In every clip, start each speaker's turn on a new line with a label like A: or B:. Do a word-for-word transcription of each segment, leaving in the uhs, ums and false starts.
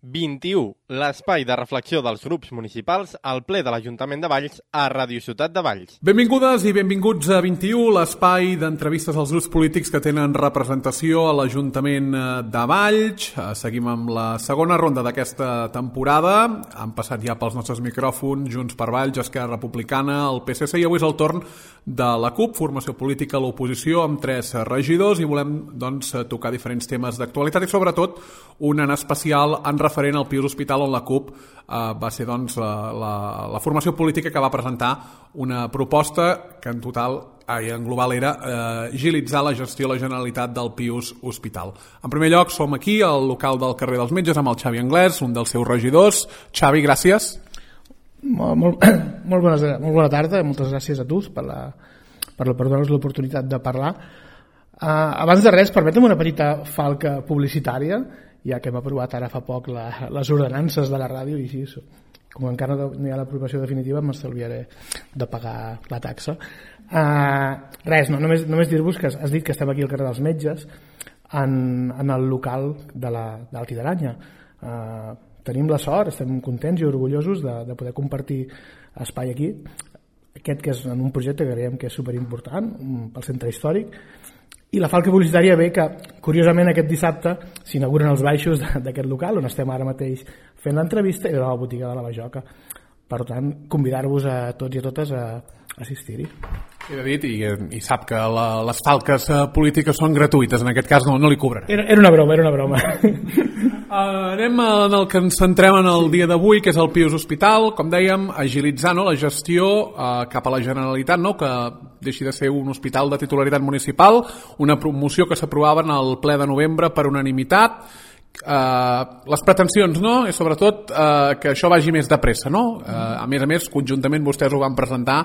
A: vint-i-u, l'espai de reflexió dels grups municipals al ple de l'Ajuntament de Valls a Ràdio Ciutat de Valls.
B: Benvingudes i benvinguts a vint-i-u, l'espai d'entrevistes als grups polítics que tenen representació a l'Ajuntament de Valls. Seguim amb la segona ronda d'aquesta temporada. Han passat ja pels nostres micròfons Junts per Valls, Esquerra Republicana, el P S C, i avui és el torn de la CUP, formació política a l'oposició, amb tres regidors, i volem doncs, tocar diferents temes d'actualitat i sobretot un en especial en referent al Pius Hospital, on la CUP eh, va ser doncs, la, la, la formació política que va presentar una proposta que en total i en global era eh, agilitzar la gestió a la Generalitat del Pius Hospital. En primer lloc, som aquí al local del carrer dels Metges amb el Xavi Anglès, un dels seus regidors. Xavi, gràcies.
C: Molt, molt, molt, bones, molt bona tarda, moltes gràcies a tu per, la, per, la, per donar-nos l'oportunitat de parlar. Uh, abans de res, permetem una petita falca publicitària, ja que hem aprovat ara fa poc la, les ordenances de la ràdio, i sí, com encara no hi ha l'aprovació definitiva m'estalviaré de pagar la taxa. Uh, res, no, només, només dir-vos que has dit que estem aquí al carrer dels Metges, en, en el local de l'Alti d'Aranya. Uh, tenim la sort, estem contents i orgullosos de, de poder compartir espai aquí, aquest que és en un projecte que creiem que és superimportant pel centre històric. I la falca publicitària ve que, curiosament, aquest dissabte s'inauguren els baixos d'aquest local, on estem ara mateix fent l'entrevista, i de la botiga de la Bajoca. Per tant, convidar-vos a tots i a totes a assistir-hi.
B: He dit, i, i sap que la, les falques polítiques són gratuïtes, en aquest cas no, no li cobraré.
C: Era, era una broma, era una broma.
B: Uh, anem en el que ens centrem en el dia d'avui, que és el Pius Hospital, com dèiem, agilitzar no, la gestió uh, cap a la Generalitat, no, que deixi de ser un hospital de titularitat municipal, una promoció que s'aprovava en el ple de novembre per unanimitat. Uh, les pretensions, no? I sobretot uh, que això vagi més de pressa, no? Uh, a més a més, conjuntament vostès ho van presentar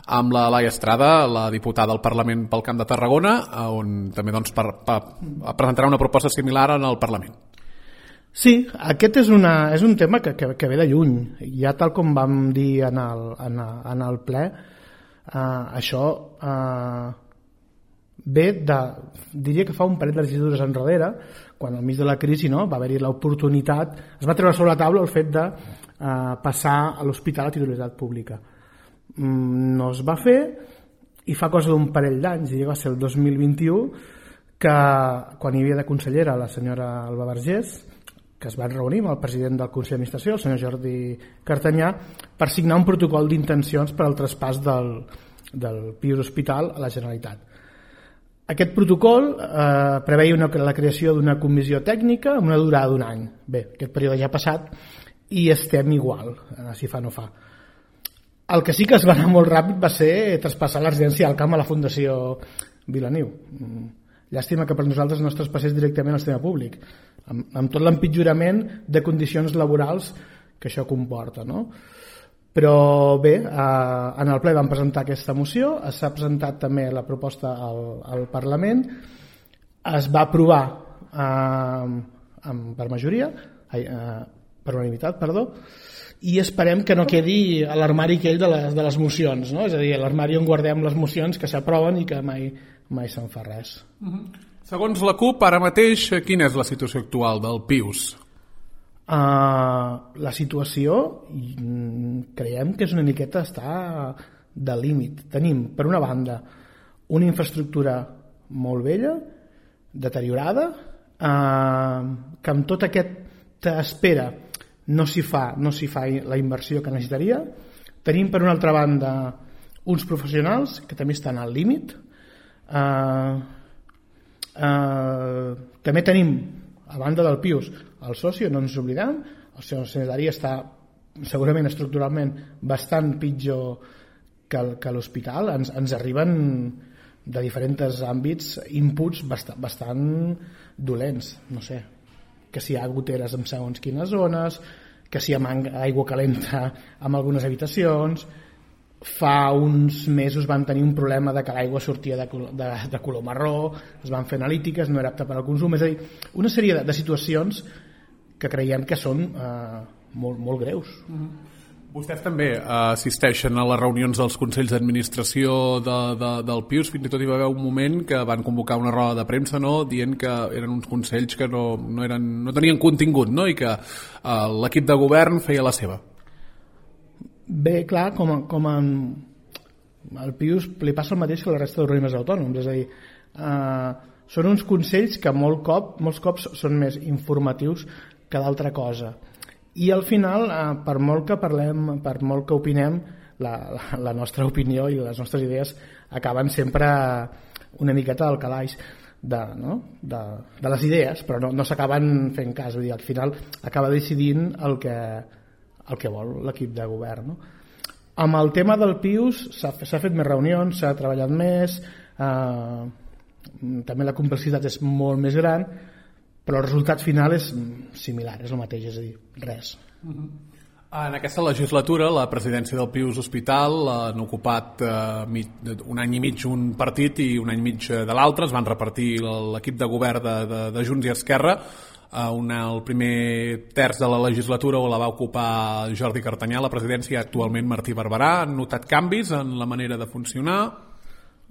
B: amb la Laia Estrada, la diputada al Parlament pel Camp de Tarragona, on també doncs, per, per, presentarà una proposta similar en el Parlament.
C: Sí, aquest és, una, és un tema que, que, que ve de lluny. Ja tal com vam dir en el, en, en el ple, uh, això uh, ve de, diria que fa un parell de legislatures enrere, quan al mig de la crisi, no, va haver-hi l'oportunitat, es va treure sobre la taula el fet de uh, passar a l'hospital a titularitat pública. Mm, no es va fer, i fa cosa d'un parell d'anys, i va ser el dos mil vint-i-u, que quan hi havia de consellera la senyora Alba Vergés, que es van reunir amb el president del Consell d'Administració, el senyor Jordi Cartanyà, per signar un protocol d'intencions per al traspàs del, del Pius Hospital a la Generalitat. Aquest protocol eh, preveia una, la creació d'una comissió tècnica amb una durada d'un any. Bé, aquest període ja ha passat i estem igual, eh, si fa no fa. El que sí que es va anar molt ràpid va ser traspassar la residència al camp a la Fundació Vilaniu. Llàstima que per nosaltres no es traspassés directament al sistema públic, amb, amb tot l'empitjorament de condicions laborals que això comporta, no? Però bé, eh, en el ple vam presentar aquesta moció, s'ha presentat també la proposta al, al Parlament, es va aprovar eh, amb, per majoria, eh, per unanimitat, perdó, i esperem que no quedi a l'armari aquell de les, de les mocions, no? És a dir, a l'armari on guardem les mocions que s'aproven i que mai, mai se'n fa res.
B: Uh-huh. Segons la CUP, ara mateix, quina és la situació actual del Pius?
C: Uh, la situació creiem que és una miqueta està de límit. Tenim, per una banda, una infraestructura molt vella, deteriorada, uh, que amb tota aquesta espera no s'hi fa, no s'hi fa la inversió que necessitaria. Tenim, per una altra banda, uns professionals que també estan al límit. Uh, uh, també tenim, a banda del Pius, el soci, no ens oblidem, el seu sanitari està segurament estructuralment bastant pitjor que, que l'hospital. Ens, ens arriben de diferents àmbits inputs bastant, bastant dolents, no sé, que si hi ha goteres en segons quines zones, que si hi ha aigua calenta en algunes habitacions. Fa uns mesos van tenir un problema de que l'aigua sortia de, de, de color marró, es van fer analítiques, no era apta per al consum. És a dir, una sèrie de, de situacions que creiem que són eh, molt, molt greus.
B: Uh-huh. Vostès també assisteixen a les reunions dels Consells d'Administració de, de, del Pius, fins i tot hi va haver un moment que van convocar una roda de premsa, no?, dient que eren uns consells que no, no, eren, no tenien contingut, no?, i que eh, l'equip de govern feia la seva.
C: Bé, clar, com, a, com a, al Pius li passa el mateix que a la resta d'organismes autònoms, és a dir, eh, són uns consells que molt cop, molts cops són més informatius que d'altra cosa. I al final, eh, per molt que parlem, per molt que opinem, la, la, la nostra opinió i les nostres idees acaben sempre una miqueta al calaix de, no? de, de les idees, però no, no s'acaben fent cas. Vull dir, al final acaba decidint el que, el que vol l'equip de govern. No? Amb el tema del Pius s'ha fet més reunions, s'ha treballat més, eh, també la complexitat és molt més gran, però el resultat final és similar, és el mateix, és a dir, res.
B: Uh-huh. En aquesta legislatura, la presidència del Pius Hospital han ocupat eh, mig, un any i mig un partit i un any i mig de l'altre, es van repartir l'equip de govern de, de, de Junts i Esquerra. Eh, una, el primer terç de la legislatura la va ocupar Jordi Cartanyà, la presidència, actualment Martí Barberà. Han notat canvis en la manera de funcionar?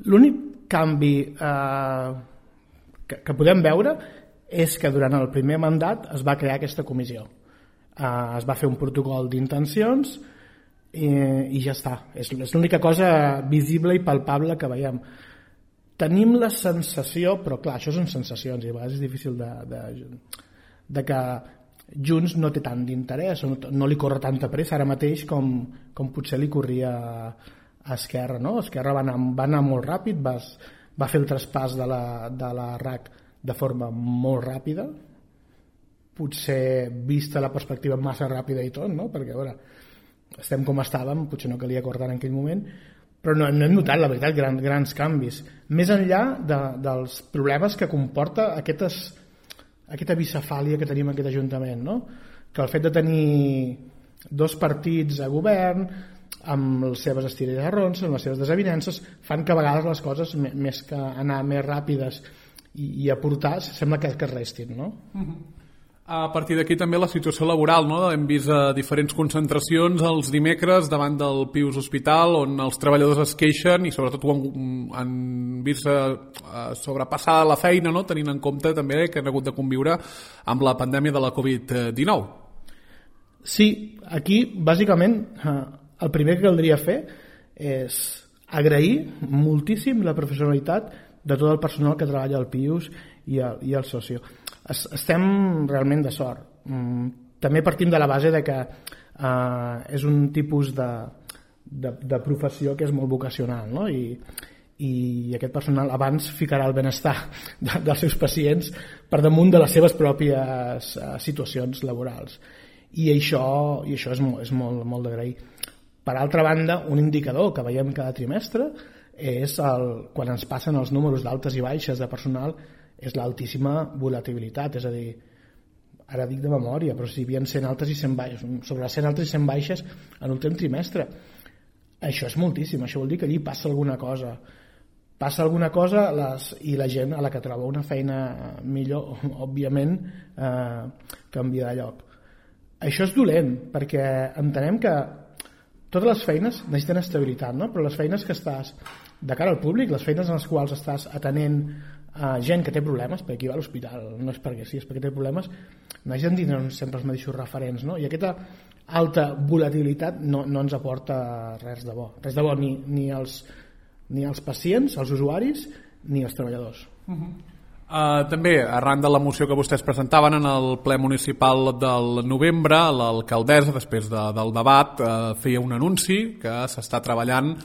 C: L'únic canvi eh, que, que podem veure és que durant el primer mandat es va crear aquesta comissió. Uh, es va fer un protocol d'intencions i, i ja està. És, és l'única cosa visible i palpable que veiem. Tenim la sensació, però clar, això són sensacions i a vegades és difícil de, de, de que Junts no té tant d'interès, no, no li corre tanta pressa ara mateix com, com potser li corria a Esquerra. No? Esquerra va anar, va anar molt ràpid, va, va fer el traspàs de la, de la R A C de forma molt ràpida, potser vista la perspectiva massa ràpida i tot, no? Perquè a veure, estem com estàvem, potser no calia acordar en aquell moment, però no, no hem notat, la veritat, gran, grans canvis. Més enllà de, dels problemes que comporta aquestes, aquesta bicefàlia que tenim en aquest Ajuntament, no? Que el fet de tenir dos partits a govern, amb les seves estires i arrons, amb les seves desavinences, fan que a vegades les coses, més que anar més ràpides i aportar, sembla que, que restin, no?
B: Uh-huh. A partir d'aquí també la situació laboral, no? Hem vist a diferents concentracions els dimecres davant del Pius Hospital on els treballadors es queixen i sobretot ho han, han vist sobrepassar la feina, no? Tenint en compte també que han hagut de conviure amb la pandèmia de la covid dinou.
C: Sí, aquí bàsicament el primer que caldria fer és agrair moltíssim la professionalitat de tot el personal que treballa al Pius i el, i el socio. Es, estem realment de sort. Mm, també partim de la base de que eh, és un tipus de, de, de professió que és molt vocacional, no? I, i aquest personal abans ficarà el benestar de, dels seus pacients per damunt de les seves pròpies eh, situacions laborals. I això, i això és, molt, és molt, molt d'agrair. Per altra banda, un indicador que veiem cada trimestre és el, quan ens passen els números d'altes i baixes de personal, és l'altíssima volatilitat, és a dir, ara dic de memòria, però si hi havia cent altes i cent baixes, sobre les cent altes i cent baixes en l'últim trimestre. Això és moltíssim, això vol dir que allí passa alguna cosa. Passa alguna cosa les, i la gent a la que troba una feina millor, òbviament, eh, canvia de lloc. Això és dolent, perquè entenem que totes les feines necessiten estabilitat, no? Però les feines que estàs de cara al públic, les feines en les quals estàs atenent a gent que té problemes, perquè aquí va a l'hospital, no és perquè sí, és perquè té problemes, necessiten tindre sempre els mateixos referents, no? I aquesta alta volatilitat no, no ens aporta res de bo, res de bo ni, ni, els, ni els pacients, els usuaris, ni els treballadors.
B: Uh-huh. Uh, també, arran de la moció que vostès presentaven en el ple municipal del novembre, l'alcaldessa, després de, del debat, uh, feia un anunci que s'està treballant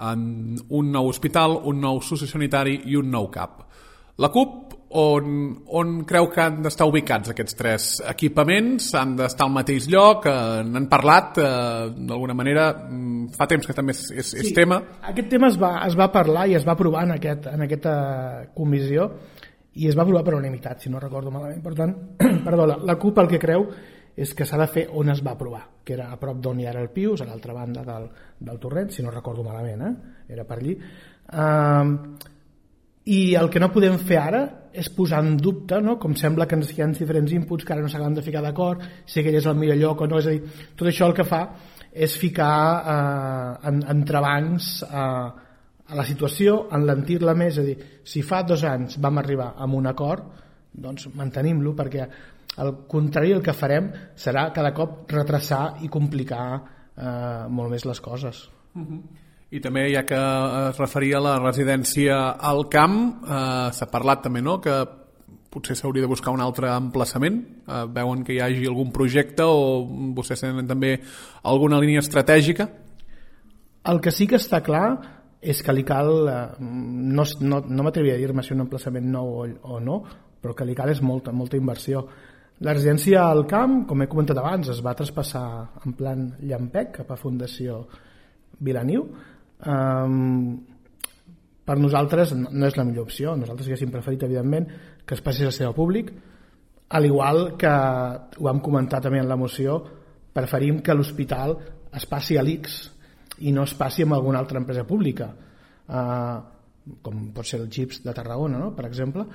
B: en un nou hospital, un nou sociosanitari i un nou C A P. La C U P, on, on creu que han d'estar ubicats aquests tres equipaments? Han d'estar al mateix lloc? Uh, n'han parlat, uh, d'alguna manera, fa temps que també és, és, és
C: sí,
B: tema.
C: Aquest tema es va, es va parlar i es va aprovar en, aquest, en aquesta comissió, i es va aprovar per unanimitat, si no recordo malament. Per tant, perdó, la, la C U P el que creu és que s'ha de fer on es va aprovar, que era a prop d'on hi era el Pius, a l'altra banda del, del torrent, si no recordo malament, eh? Era per allí. Uh, I el que no podem fer ara és posar en dubte, no? Com sembla que hi ha diferents inputs que ara no s'acaben de ficar d'acord, si aquell és el millor lloc o no, és a dir, tot això el que fa és ficar eh, en, entrebancs a, a la situació, enlentir-la més, és a dir, si fa dos anys vam arribar a un acord, doncs mantenim-lo, perquè al contrari el que farem serà cada cop retrasar i complicar eh, molt més les coses.
B: Uh-huh. I també, ja que es referia a la residència al camp, eh, s'ha parlat també, no?, que potser s'hauria de buscar un altre emplaçament. Eh, veuen que hi hagi algun projecte o vostès tenen també alguna línia estratègica?
C: El que sí que està clar és que li cal, eh, no, no, no m'atreviria a dir-me si un emplaçament nou o, o no, però que li cal és molta, molta inversió. La residència al camp, com he comentat abans, es va traspassar en plan llampec cap a Fundació Vilaniu. Um, per nosaltres no és la millor opció. Nosaltres haguéssim preferit, evidentment, que es passés a ser al públic, al igual que ho vam comentar també en la moció, preferim que l'hospital es passi a l'I C S i no es passi amb alguna altra empresa pública, uh, com pot ser el G I P S de Tarragona, no?, per exemple.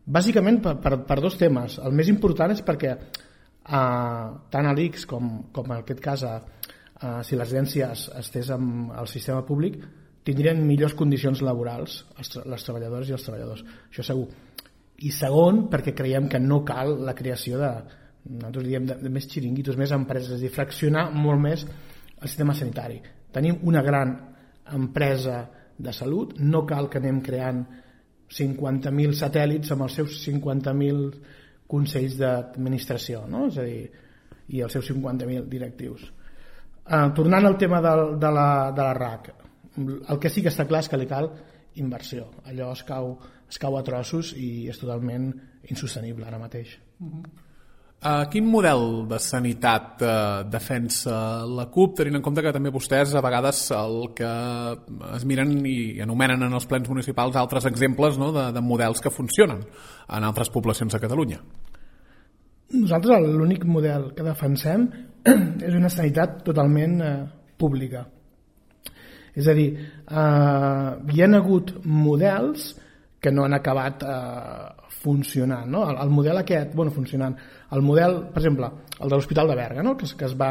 C: Bàsicament per, per, per dos temes. El més important és perquè uh, tant a l'I C S com, com en aquest cas a, uh, si la residència estés amb el sistema públic, tindrien millors condicions laborals els, les treballadores i els treballadors, això segur. I segon, perquè creiem que no cal la creació de, nosaltres diem, de, de més xiringuitos, més empreses, és a dir, fraccionar molt més el sistema sanitari. Tenim una gran empresa de salut, no cal que anem creant cinquanta mil satèl·lits amb els seus cinquanta mil consells d'administració, no?, és a dir, i els seus cinquanta mil directius. Uh, tornant al tema de, de, la, de la R A C, el que sí que està clar és que li cal inversió. Allò es cau, es cau a trossos i és totalment insostenible ara mateix.
B: Uh-huh. Uh, quin model de sanitat uh, defensa la CUP, tenint en compte que també vostès a vegades el que es miren i anomenen en els plens municipals altres exemples, no?, de, de models que funcionen en altres poblacions de Catalunya?
C: Nosaltres l'únic model que defensem és una sanitat totalment eh, pública. És a dir, eh, hi ha hagut models que no han acabat eh, funcionant, no? El, el model aquest, bueno, funcionant, el model, per exemple, el de l'Hospital de Berga, no?, que, que es va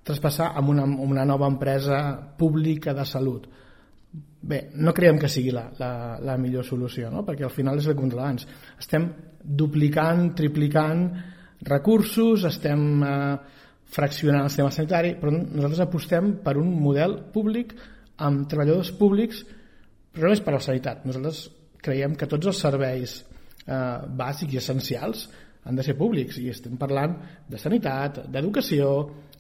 C: traspassar amb una, amb una nova empresa pública de salut. Bé, no creiem que sigui la, la, la millor solució, no?, perquè al final és el que abans. Estem duplicant, triplicant recursos, estem eh, fraccionant el sistema sanitari, però nosaltres apostem per un model públic amb treballadors públics, però no és per la sanitat. Nosaltres creiem que tots els serveis eh, bàsics i essencials han de ser públics, i estem parlant de sanitat, d'educació,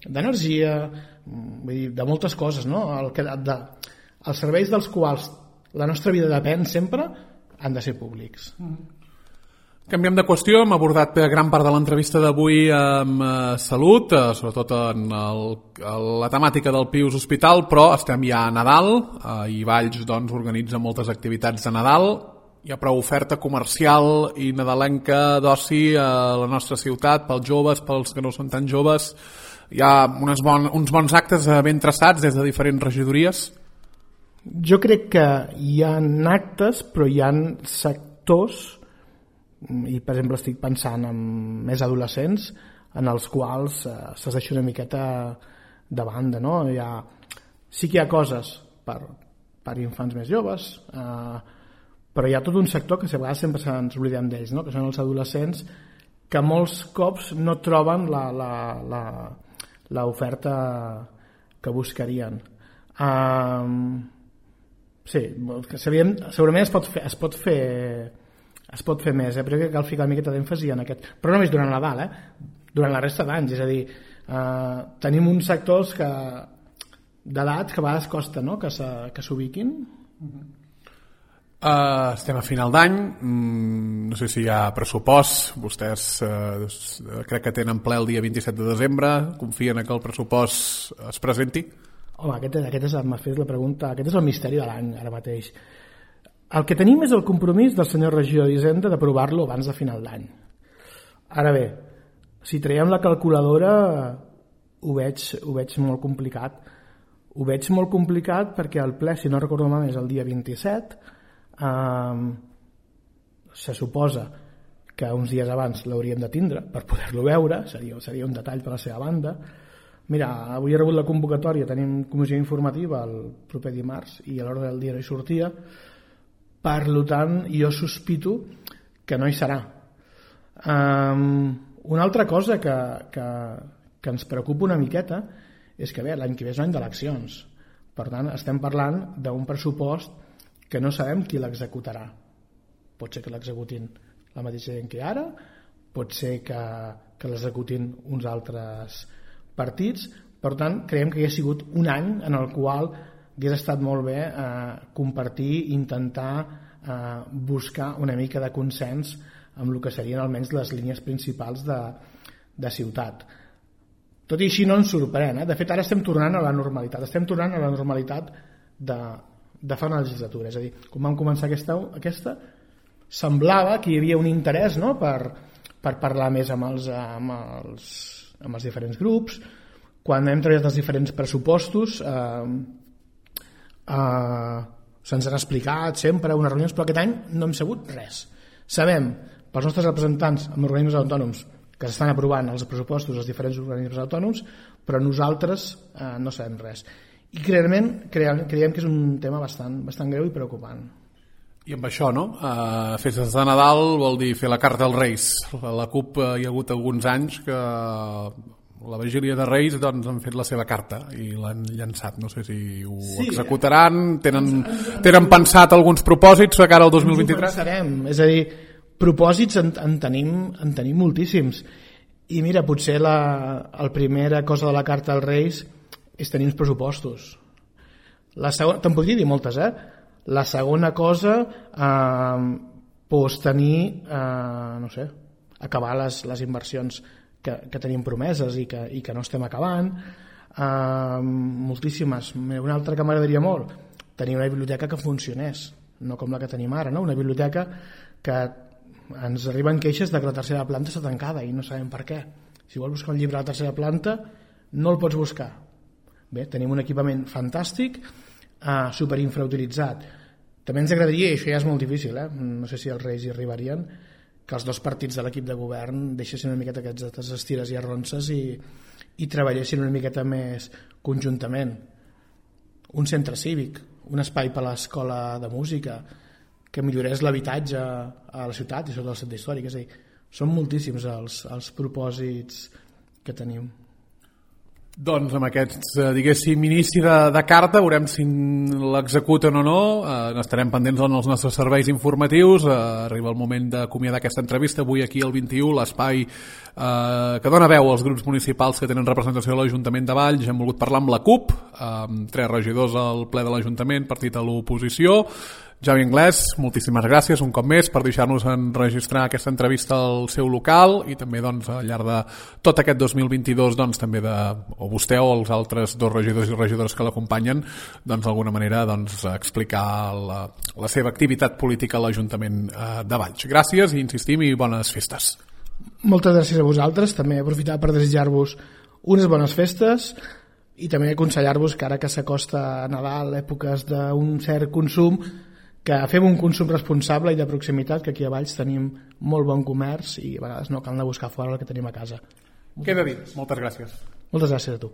C: d'energia, vull dir, de moltes coses, no? El que, de, els serveis dels quals la nostra vida depèn sempre han de ser públics.
B: Canviem de qüestió, hem abordat gran part de l'entrevista d'avui amb eh, salut, eh, sobretot en el, la temàtica del Pius Hospital, però estem ja a Nadal, eh, i Valls doncs, organitza moltes activitats de Nadal. Hi ha prou oferta comercial i nadalenca d'oci a la nostra ciutat, pels joves, pels que no són tan joves. Hi ha unes bon, uns bons actes ben traçats des de diferents regidories.
C: Jo crec que hi ha actes, però hi ha sectors, i per exemple estic pensant en més adolescents, en els quals eh, se'ls deixa una miqueta de banda, no? Hi ha, sí que hi ha coses per, per infants més joves, eh, però hi ha tot un sector que a vegades sempre ens oblidem d'ells, no?, que són els adolescents, que molts cops no troben la, la, la, la oferta que buscarien. Um, sí, segurament es pot fer, es pot fer, es pot fer més, eh? Però crec que cal ficar una miqueta d'èmfasi en aquest, però només durant Nadal, eh? Durant la resta d'anys, és a dir, uh, tenim uns sectors que d'edat que a vegades costa, no?, que s'ubiquin.
B: Uh, estem a final d'any, mm, no sé si hi ha pressupost, vostès uh, crec que tenen ple el dia vint-i-set de desembre, confien que el pressupost es presenti?
C: Home, aquest, aquest és, m'ha fet la pregunta, aquest és el misteri de l'any ara mateix. El que tenim és el compromís del senyor regidor d'Hisenda d'aprovar-lo abans de final d'any. Ara bé, si traiem la calculadora ho veig, ho veig molt complicat. Ho veig molt complicat perquè el ple, si no recordo malament, és el dia vint-i-set. Um, se suposa que uns dies abans l'hauríem de tindre per poder-lo veure, seria, seria un detall per la seva banda. mira, avui he rebut la convocatòria, tenim comissió informativa el proper dimarts i a l'hora del dia no hi sortia, per tant jo sospito que no hi serà. Um, una altra cosa que, que, que ens preocupa una miqueta és que bé, l'any que ve és l'any d'eleccions, per tant estem parlant d'un pressupost que no sabem qui l'executarà. Pot ser que l'executin la mateixa gent que ara, pot ser que, que l'executin uns altres partits, per tant creiem que hi ha sigut un any en el qual hauria estat molt bé eh, compartir, intentar eh, buscar una mica de consens amb el que serien almenys les línies principals de, de ciutat. Tot i així no ens sorprèn, eh? De fet ara estem tornant a la normalitat, estem tornant a la normalitat de, de fa una legislatura, és a dir, quan vam començar aquesta, aquesta semblava que hi havia un interès, no?, per, per parlar més amb els, amb, els, amb els diferents grups. Quan hem treballat els diferents pressupostos eh, eh, se'ns han explicat sempre unes reunions, però aquest any no hem sabut res. Sabem pels nostres representants amb organismes autònoms que s'estan aprovant els pressupostos dels diferents organismes autònoms, però nosaltres eh, no sabem res. I creiem, creiem, creiem que és un tema bastant, bastant greu i preocupant.
B: I amb això, no? Uh, festes de Nadal vol dir fer la carta als Reis. A la CUP uh, hi ha hagut alguns anys que la vigília de Reis doncs, han fet la seva carta i l'han llançat. No sé si ho sí, executaran, tenen, tenen pensat alguns propòsits de cara al dos mil vint-i-tres?
C: Ens ho pensarem, és a dir, propòsits en, en, tenim, en tenim moltíssims. I mira, potser la, la primera cosa de la carta als Reis és tenir uns pressupostos. La segona, te'n podria dir moltes, eh? La segona cosa eh, pues tenir eh, no sé, acabar les, les inversions que, que tenim promeses i que, i que no estem acabant, eh, moltíssimes. Una altra que m'agradaria molt, tenir una biblioteca que funcionés, no com la que tenim ara, no? Una biblioteca que ens arriben queixes de que la tercera planta està tancada i no sabem per què. Si vols buscar un llibre a la tercera planta no el pots buscar. Bé, tenim un equipament fantàstic, eh, superinfrautilitzat. També ens agradaria, i això ja és molt difícil, eh? No sé si els Reis hi arribarien, que els dos partits de l'equip de govern deixessin una miqueta aquestes estires i arronses i, i treballessin una miqueta més conjuntament. Un centre cívic, un espai per a l'escola de música, que millorés l'habitatge a la ciutat i sobretot al centre històric. És a dir, són moltíssims els, els propòsits que tenim.
B: Doncs amb aquest, diguéssim, inici de, de carta veurem si l'executen o no. Eh, estarem pendents en els nostres serveis informatius. Eh, arriba el moment d'acomiadar aquesta entrevista avui aquí al vint-i-u, l'espai eh, que dona veu als grups municipals que tenen representació a l'Ajuntament de Valls. Hem volgut parlar amb la CUP, amb tres regidors al ple de l'Ajuntament, partit a l'oposició. Javi Anglès, moltíssimes gràcies un cop més per deixar-nos enregistrar aquesta entrevista al seu local i també doncs, al llarg de tot aquest dos mil vint-i-dos doncs, també de, o vostè o els altres dos regidors i regidores que l'acompanyen doncs, d'alguna manera doncs, explicar la, la seva activitat política a l'Ajuntament eh, de Valls. Gràcies i insistim i bones festes.
C: Moltes gràcies a vosaltres, també aprofitar per desitjar-vos unes bones festes i també aconsellar-vos que ara que s'acosta a Nadal, èpoques d'un cert consum, que fem un consum responsable i de proximitat, que aquí a Valls tenim molt bon comerç i a vegades no cal anar a buscar fora el que tenim a casa.
B: Queda dit. Moltes gràcies.
C: Moltes gràcies a tu.